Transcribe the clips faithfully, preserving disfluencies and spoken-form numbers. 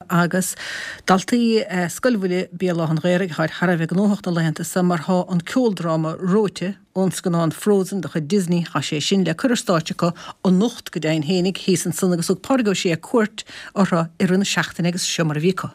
Agus daltaí Scoil Bhaile Béal Átha an Ghaorthaidh thar thar a bheith gnóthach na laethanta seo mar tá an ceoldráma Reoite ón scannán Frozen de chuid Disney tá sé sin le cur ar stáitse acu anocht go deimhin fhéinig thíos ansan agus thug Pádraig Ó Sé cuairt orthu i rith na seachtaine agus seo mar a bhí acu.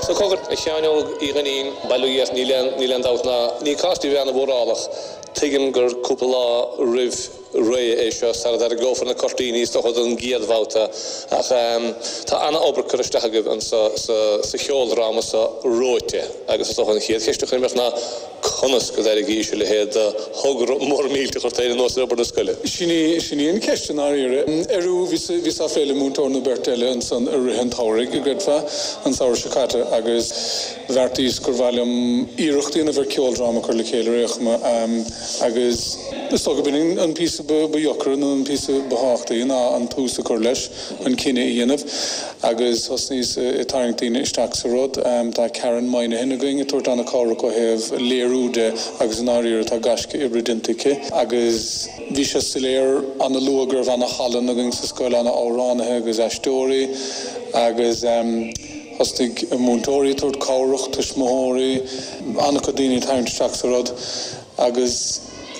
So cogar a Sheáin Óg Uí Dhuinnín, bail ó Dhia ort, níl aon, níl aon dabht ná ní cás duit a bheith ana-mhórálach. Tuigim gur cúpla lá roimh ré é seo sara dtarraingeofar na cuirtíní is dócha don gcéad bhabhta ach tá ana-obair curtha isteach agaibh anso sa, sa cheoldráma seo Reoite agus is dócha an chéad cheist a chuirfinn ort ná conas go dtairgís a leithéid de thogra mór millteach ort féin anuas ar obair na scoile? Sin í, sin í an cheist i ndáiríre. Arú, bhíos, bhíos á phlé le múinteoir nó beirt eile ansan i rith an tsamhraidh, an gcreidfeá, an samhradh seo caite agus bheartaíos gur mhaith liom iarracht a dhéanamh ar ceoldráma a chur le chéile ar aon chuma agus is dócha gurb in an píosa ba, ba dheacra nó an píosa ba thábhachtaí ná an tús a chur leis, an cinneadh a dhéanamh agus thosnaíos ag tarraingt daoine isteach sa rud. Tá Karen Moynihan againn ag tabhairt an-chabhrach ó thaobh léiriú de agus i ndáiríre tá gaisce oibre déanta aici agus bhí sé soiléir ana-luath go raibh ana-thallann againn sa scoil, ana-amhránaithe agus aisteoirí agus thosnaigh múinteoirí ag tabhairt cabhrach, tuismitheoirí, an-chuid daoine ag tarraingt isteach sa rud agus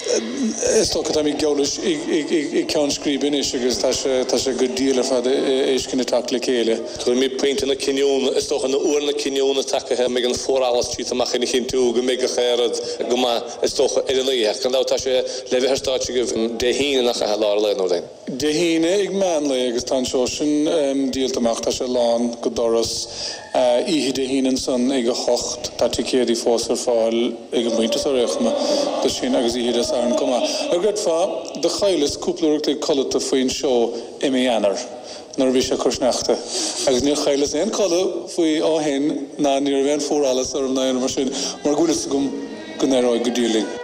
is dócha táimid geall leis ag ceann scríbe anois agus tá sé tá sé go diail ar fad é sin ag teacht le chéile. Tuigim pointe na cinniúna, is dócha nó uair na cinniúna tagaithe, a mbeidh an fuarallas tite amach ina chinntiú go mbeidh gach aon rud go maith, is dócha, ar an oíche. Ach gan dabht tá sé le bheith ar stáitse agaibh Dé hAoine nach ea, i lár an lae nó rud éigin. Dé hAoine ag meán lae agus tá an seó sin díolta amach, tá sé lán go doras. Oíche Dé hAoine ansan ag a hocht, tá ticéadaí fós ar fáil ag an bpointe seo ar aon chuma do sin agus oíche Dé Sathairn chomh maith. An gcreidfeá, do chailleas cúpla uair a chloig codlata faoin seó i mí Eanáir nuair a bhí sé ag cur sneachta agus níor chailleas aon chodladh faoi ó shin ná ní raibh aon fuarallas orm ná aon rud mar sin mar go bhfuil fhios agam go n-éireoidh go diail linn.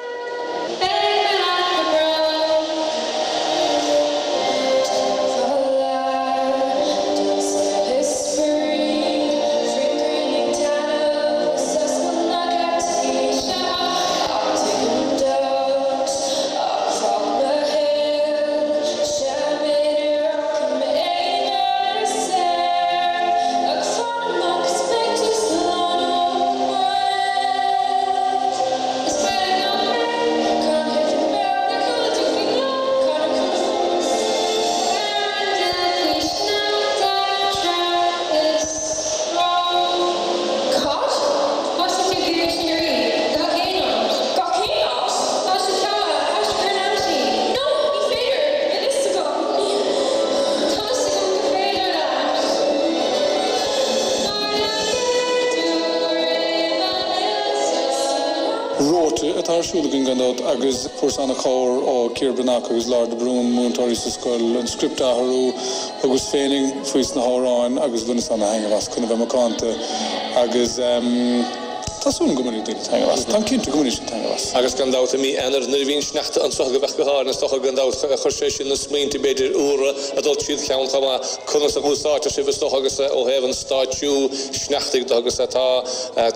Reoite atá ar siúl againn gan dabht agus fuaireas an-chabhair ó Ciara Breathnach agus Laura de Brún, múinteoirí sa scoil, an script a athrú. Thugas féinig faoi sna hamhráin agus bhaineas ana-thaitneamh as chun a bheith macánta agus tá súil agam go mbainfidh daoine taitneamh as. Táim cinnte go mbainfidh siad taitneamh as. Agus gan dabht i mí Eanáir nuair a bhí an sneachta anso go bheadh go háirithe is dócha gan dabht chuir sé sin na smaointe b'fhéidir úra a dul tríd cheann chomh maith conas a úsáidtear sibh is dócha agus ó thaobh an stáitsiú sneachtaidh de agus tá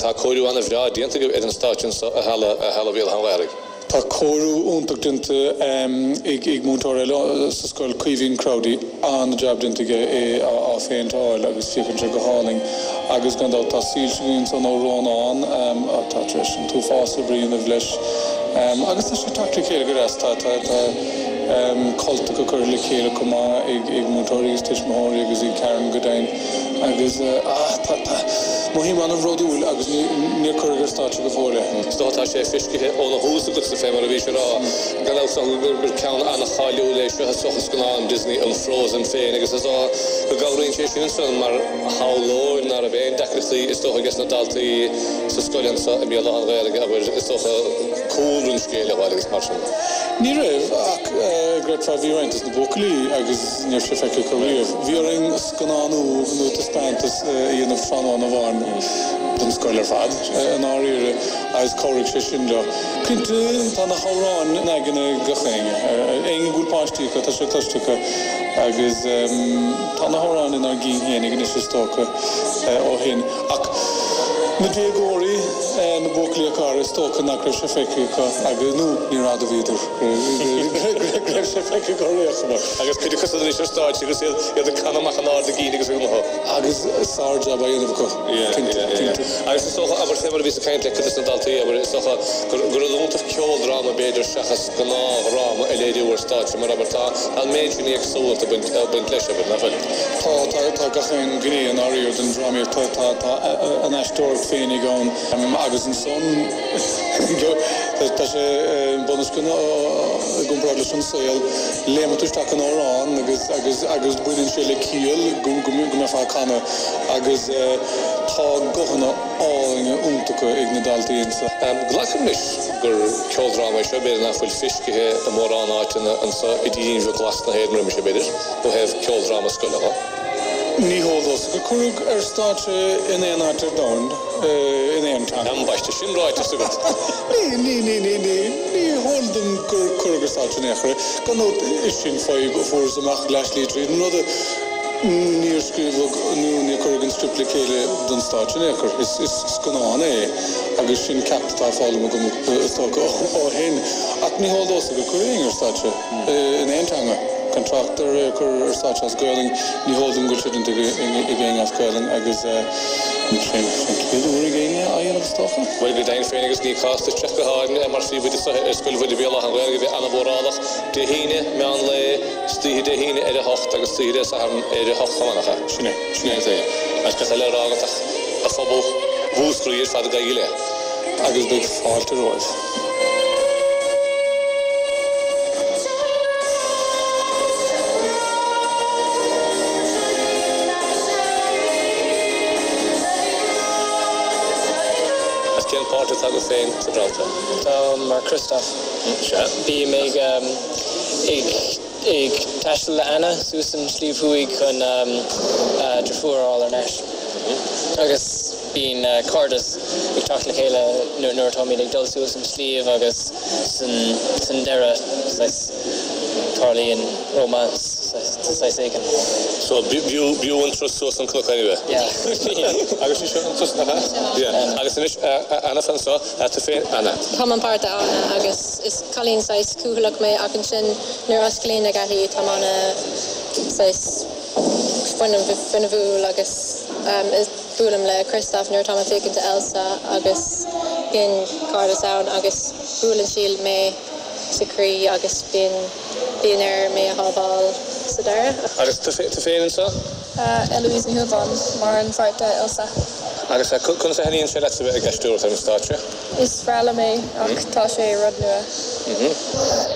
tá cóiriú ana-bhreá déanta agaibh ar an stáitse anso i Halla i Halla Bhéal Átha an Ghaorthaidh. Tá cóiriú iontach déanta ag ag múinteoir eile sa scoil, Caoimhín Crowdy, an-jab déanta aige é á phéinteáil agus féachann sé go hálainn agus gan dabht tá soilse againn ansan ó Rónán atá tar éis an t-uafás oibre a dhéanamh leis agus tá sé ag teacht le chéile go deas. Tá tá tá cultacha curtha le chéile chomh maith ag ag múinteoirí agus tuismitheoirí agus ag Karen go deimhin agus ah tá tá mothaím an-bhródúil agus ní níor cuireadh ar stáitse go fóill é. Is dócha tá sé feiscithe óna thús agatsa fé mar a bhís ag rá gan dabht gur gur ceann an-cháiliúil é seo is dócha scannán Disney an Frozen féin agus is dócha go gcabhraíonn sé sin ansan mar shamhlóir ná raibh aon deacrachtaí is dócha ages na daltaí sa scoil anso i mBéal Átha an Ghaorthaidh abair is dócha cúlra an scéil a fháil agus mar sin. Ní raibh ach creidfeá bhí roinnt des na buachaillí agus ní raibh sé feicthe acu riamh. Bhí orainn scannánú nó taispeántas a dhéanamh tráthnóna amháin don scoil ar fad i ndáiríre agus chabhraigh sé sin leo. Cinnte tá na hamhráin in aigne gach éinne. Éinne go bhfuil páistí acu tá sé cloiste acu agus tá na hamhráin inár gcinn fhéinig anois is dócha ó shin. Ach na déagóirí, na buachaillí a cara, is dócha nach raibh sé feicthe acu agus, nó ní admhaíodar go raibh sé feicthe acu riamh. Agus cuid acu san anois ar stáitse agus iad iad ag canadh amach in ard a gcinn agus ag gutha. Agus sár-jab á dhéanamh acu, cinnte, cinnte. Agus is dócha, abair, fé mar a bhíos ag caint le cuid de na daltaí, abair, is dócha gur gur rud iontach ceoldráma b'fhéidir seachas gnáthdhráma a léiriú ar stáitse mar, abair, tá an méid sin éagsúlacht ag baint ag baint leis, abair, nach bhfuil? Tá, tá, tá gach aon ghné i ndáiríre den drámaíocht, tá, tá, tá an aisteoireacht féinig ann agus ansan tá sé bunoscionn i gcomparáid leis an saol, léimeann tú isteach in amhrán agus agus agus baineann sé le ciall go go mbeifeá ag canadh agus tá guthanna álainne iontacha ag na daltaí anso. Glacaim leis gur ceoldráma é seo, b'fhéidir nach bhfuil feiscithe i mórán áiteanna anso i dtírín bheag ghlas na hÉireann roimis, b'fhéidir, ó thaobh ceoldráma scoile dho. Ní heol domhsa gur cuireadh ar stáitse in aon áit ar domhan in aon teanga. Ambaiste, sin ráite agat. Ní, ní, ní, ní, ní, ní heol dom gur cuireadh ar stáitse in aon chor é. Gan dabht, is sin fadhb a fuarthas amach leathshlí tríd an rud. Níor scríobhadh nó níor cuireadh an script le chéile don stáitse in aon chor. Is, is scannán é agus sin ceacht atá foghlamtha agam is dócha ó shin. Ach ní heol domhsa gur cuireadh éinne ar stáitse in aon teanga. Gan trácht ar é a chur ar stáitse as Gaelainn, ní heol dom go bhfuil sé déanta ag éinne as Gaelainn agus sin an chéad uair ag éinne á dhéanamh is dócha. Bhuel, go deimhin féin agus ní cás duit teacht go hÁrainn mar phríomhoide ar Scoil Mhuire Béal Átha an Ghaorthaidh a bheith an-mhórálach Dé hAoine, meán lae, istoíche Dé hAoine ar a hocht agus istoíche Dé Sathairn ar a hocht chomh maith, nach ea? Sin é. Sin é. Agus cad tá le rá agat ach a phobal Mhúscraí ar fad gabhaigí i leith. Agus beidh fáilte romhaibh. Agus cén páirt atá agat féin sa dráma seo? Táim mar Kristoff. Sea. Bím ag ag ag taisteal le Anna suas an Sliabh Thuaidh chun a deirfiúr a fháil thar n-ais. Agus bíonn cairdeas ag teacht le chéile nuair atáimid ag dul suas an sliabh agus san san deireadh saghas tarlaíonn romance saghas éigin. So b'fhiú b'fhiú an turas suas an cnoc anyway. Yeah. Agus sin an turas nach ea? Yeah. Agus anois Anna fan seo, tú féin Anna. Táim an páirt Anna agus is cailín saghas cúthaileach mé ach ansin nuair a osclaíonn na geataí táim ana saghas fuinneamhúil agus buailim le Kristoff nuair atá mé ag féachaint Elsa agus bíonn cairdeas ann agus buaileann sí mé sa chroí agus bíonn bíonn air mé a shábháil sa deireadh. Agus tú féin anseo? Eloise Ní Shúilleabháin mar an pháirt Elsa. Agus conas a thaitníonn sé leat a bheith ag aisteoireacht ar an stáitse? Is breá liom é ach tá sé rud nua.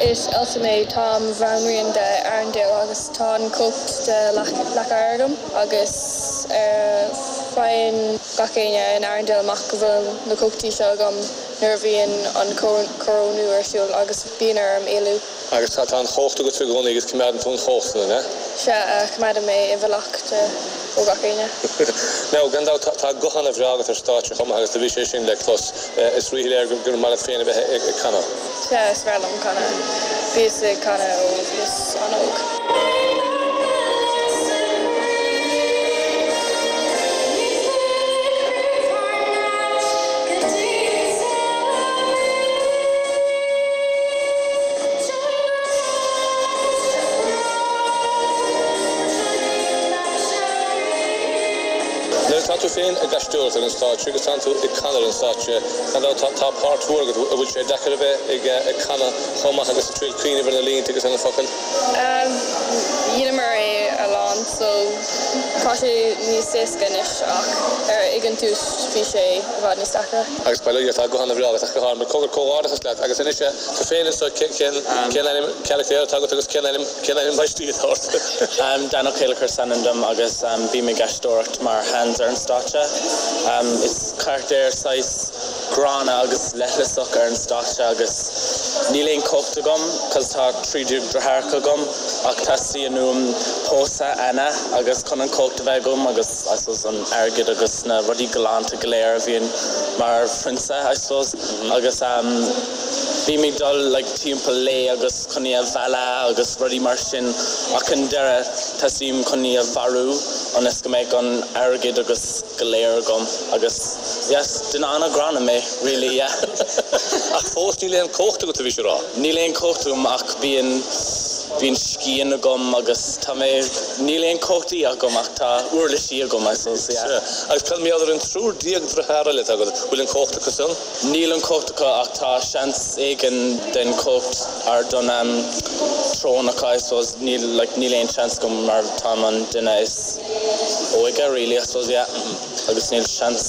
Is Elsa mé, táim bhanríon de Arendelle agus tá an chumhacht de leac oighir agam agus faigheann gach éinne in Arendelle amach go bhfuil na cumhachtaí seo agam nuair a bhíonn an corónú ar siúl agus bíonn orm éalú. Agus tá an chumhacht agat i gcónaí agus coimeádann tú an chumhacht san, an ea? Sea, coimeádaim é i bhfolach ó gach éinne. Now, gan dabht tá guth an-bhreá agat ar stáitse chomh maith agus do bhí sé sin le clos. Is ríshoiléir gur maith leat féin a bheith ag canadh. Sea, is breá liom canadh. Bhíos ag canadh ó bhíos an-óg. féin ag aisteoireacht ar an stáitse agus tánn tú ag canadh ar an stáitse. Gan dabht tá tá páirt mhór agat, an bhfuil sé deacair a bheith ag ag canadh chomh maith agus ag triail cuimhneamh ar na línte agus ar na focail? Dheineamar é a lán so tá sé níos éasca anois ach ar ag an tús bhí sé i bhfad níos deacra. Agus bail ó Dhia tá guth an-bhreá agat ach go háirithe cogar comhghairdeachas leat agus anois tú féin anseo cén cén ainm carachtair atá agat agus cén ainm cén ainm baistí atá ort? Dan Ó Céileachair is ainm dom agus bím ag aisteoireacht mar Hans ar an stáitse. Is carachtar saghas gránna agus leithleasach ar an stáitse agus níl aon chumhacht agam cos tá trí deartháireacha agam ach teastaíonn uaim pósadh Anna agus chun an chumhacht a bheith agam agus I suppose an airgead agus na rudaí galánta go léir a bhíonn mar phrionsa I suppose agus um, bím ag dul like, timpeall léi agus chun í a mhealladh agus rudaí mar sin ach an deireadh teastaím chun í a mharú ionas go mbeidh an airgead agus go léir agam agus yes, duine an-ghránna mé really yeah. Ach fós níl aon chumhacht agat a bhí sé rá. Níl aon chumhacht agam ach bíonn bíonn scian agam agus tá mé níl aon chumhachtaí agam ach tá uirlisí agam I suppose, yeah. Agus cad mar gheall ar an triúr déag deartháir eile agat bhfuil an chumhacht acu san? Níl an chumhacht acu ach tá seans éigin den chumhacht ar don um, trón acu I suppose níl like, níl aon seans agam mar tá an duine is óige really I suppose yeah. agus níl seans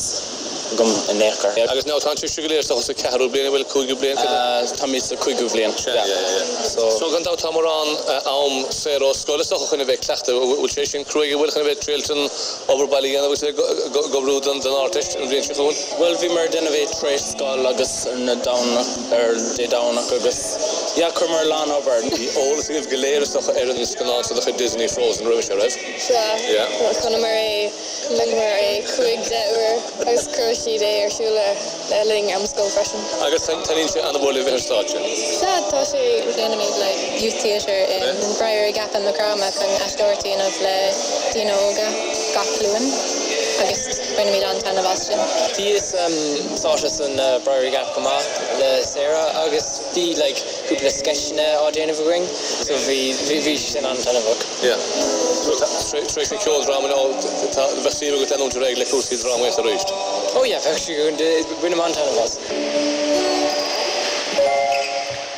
agam in aon chor. Agus ná tá sé go léir sa ceathrú bliain bhfuil cúigiú bliain Tá mé sa cúigiú bliain. So so gan dabht tá mórán am saor ó scoil is chun a bheith cleachtadh bhfuil sé sin cruaidh bhfuil chun a bheith triail an obair baile a dhéanamh agus go don den Ardteist an bhliain seo chugainn? Well bhí mar duine bhéh trééis scoil agus ar na Domhnach ar Dé Domhnach agus yeah chuir lán obair. Bhí eolas agaibh go léir is ar an scannán sa chuid Disney Frozen roimhe seo raibh? Sea, chonaiceamar é chonaiceamar é cúig deich uair agus chuir siad é ar siúl le linn am scoil freisin. Agus taitníonn sé an-mhór libh ar stáitse. Sea tá sé déanaimid like youth theatre in Briary Gap and Macrama chun aisteoireacht a dhéanamh le daoine óga gach Luan agus bainimid an-taitneamh as sin. Bhíos sáite san uh, Briary Gap go maith le Sarah agus bhí like cúpla sketcheanna á déanamh againn, so bhí bhí sin an-taitneamhach. Yeah. Tar éis an ceoldráma nó bheadh suim agat leanúint ar aghaidh le cúrsaí drámaíochta arís. Oh yeah, bheadh sé bainim an-taitneamh as.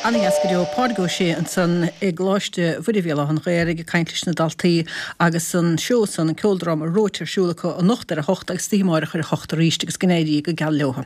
Ana-dheas go deo Pádraig Ó Sé ansan i gColáiste Mhuire Bhéal Átha an Ghaorthaidh ag caint leis na daltaí agus an seó san an ceoldráma Reoite ar siúl acu anocht ar a hocht agus oíche amárach ar a hocht arís agus go n-éirí go geal leo.